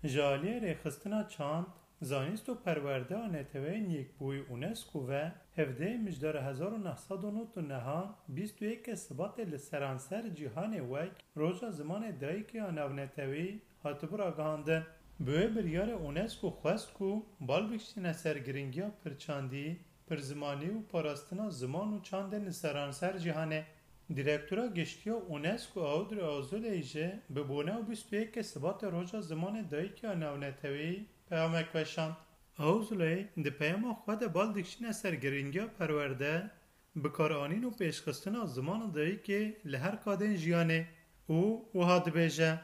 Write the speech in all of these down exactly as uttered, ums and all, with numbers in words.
Ji aliyê rêxistina çand, zanîst û perwerdeya Neteweyên Yekbûyî UNESCO ve hevdehê Mijdara hezar û neh sed û nod û nehan bîst û yekê Sibatê li seranser cîhanê wek Roja Zimanê Dayikê ya Navneteweyî hatibû ragihandin. Bi wê biryarê UNESCO xwest ku bal bikişîne ser giringiya pirçandî, pirzimanî û parastina ziman û çandên li seranser cîhanê. Direktora Giştî ya UNESCO Audrey Azoulay jî bi boneya bîst û yekê Sibatê Roja Zimanê Dayikê ya Navneteweyî peyamek weşand. Azoulay di peyama xwe de bal dikişîne ser giringiya perwerde, bikaranîn û pêşxistina zimana dayikê li her qadên jiyanê û wiha dibêje,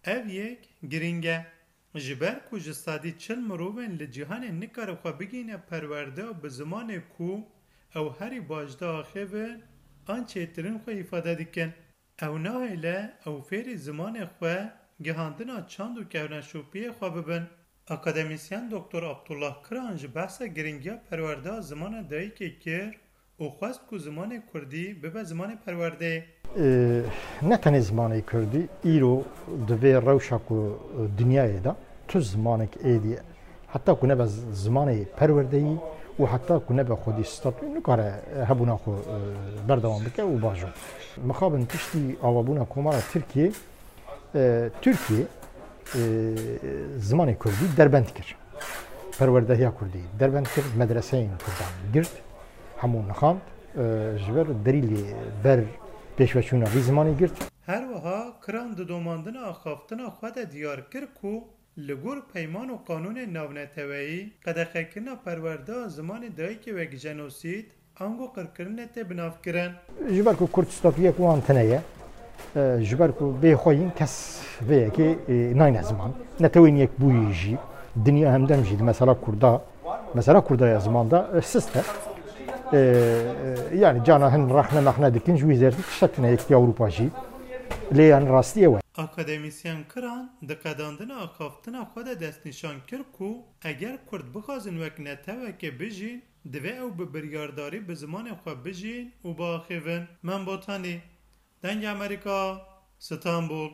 Ev yek girîng e. Ji ber ku ji sedî çil mirovên li cîhanê nikare xwe bigihîne perwerdeya bi zimanê ku ew herî baş diaxivin an çêtirîn xwe îfade dikin. Ew nahêle ew fêrî zimanê xwe, gihandina çand û kevneşopiyê xwe bibin. Akademîsyen Doktor Abdullah Kiran jî behsa giringiya perwerdeya zimana dayikê kir û xwest ku zimanê kurdî bibe zimanê perwerdeyê. Ee, ne tenê zimanê kurdî, îro di vê rewşa ku dinyayê de tu zimanek êdî, heta ku nebe zimanê perwerdeyî û heta ku nebe xwedî statûyê, nikare hebûna xwe, e, berdewam bike û bajo. Mixabin piştî avabûna Komara Tirkiyê, e, Tirkiye, e, zimanê kurdî derbend kir. Perwerdehiya kurdî derbend kir, medreseyên kurdan girt, hemû nixand, e, ji ber derîlê ber pêşveçûna vî zimanê girt. Her wiha Kiran di domandina axaftina xwe de diyar kir ku li gor peyman û qanûnên navneteweyî qedexekirina perwerdeya zimanê dayikê wek jenosîd, ango qirkirinê tê binavkirin. Ji ber ku kurd statuyek wan tune ye, e, ji ber ku bê xwe yîn kes vê yekê, e, nayne ziman. Netewên Yekbûyî jî, dinya hemdem jî di mesela kurda, mesela kurda ya ziman de, e, sist e. E, e, yani cana hin rexne mexne dikin, ji wî zêr tiştek tune, Yekîtiya Ewropa jî. Lê yani rastiyê we. Akademîsyen Kiran di qedandina axaftina xwe de destnîşan kir ku eger kurd bixwazin wek netewekê bijîn, divê ew bi biryardarî bi zimanê xwe bijîn û biaxivin. Mem Botanî, Dengê Amerîka, Stenbul.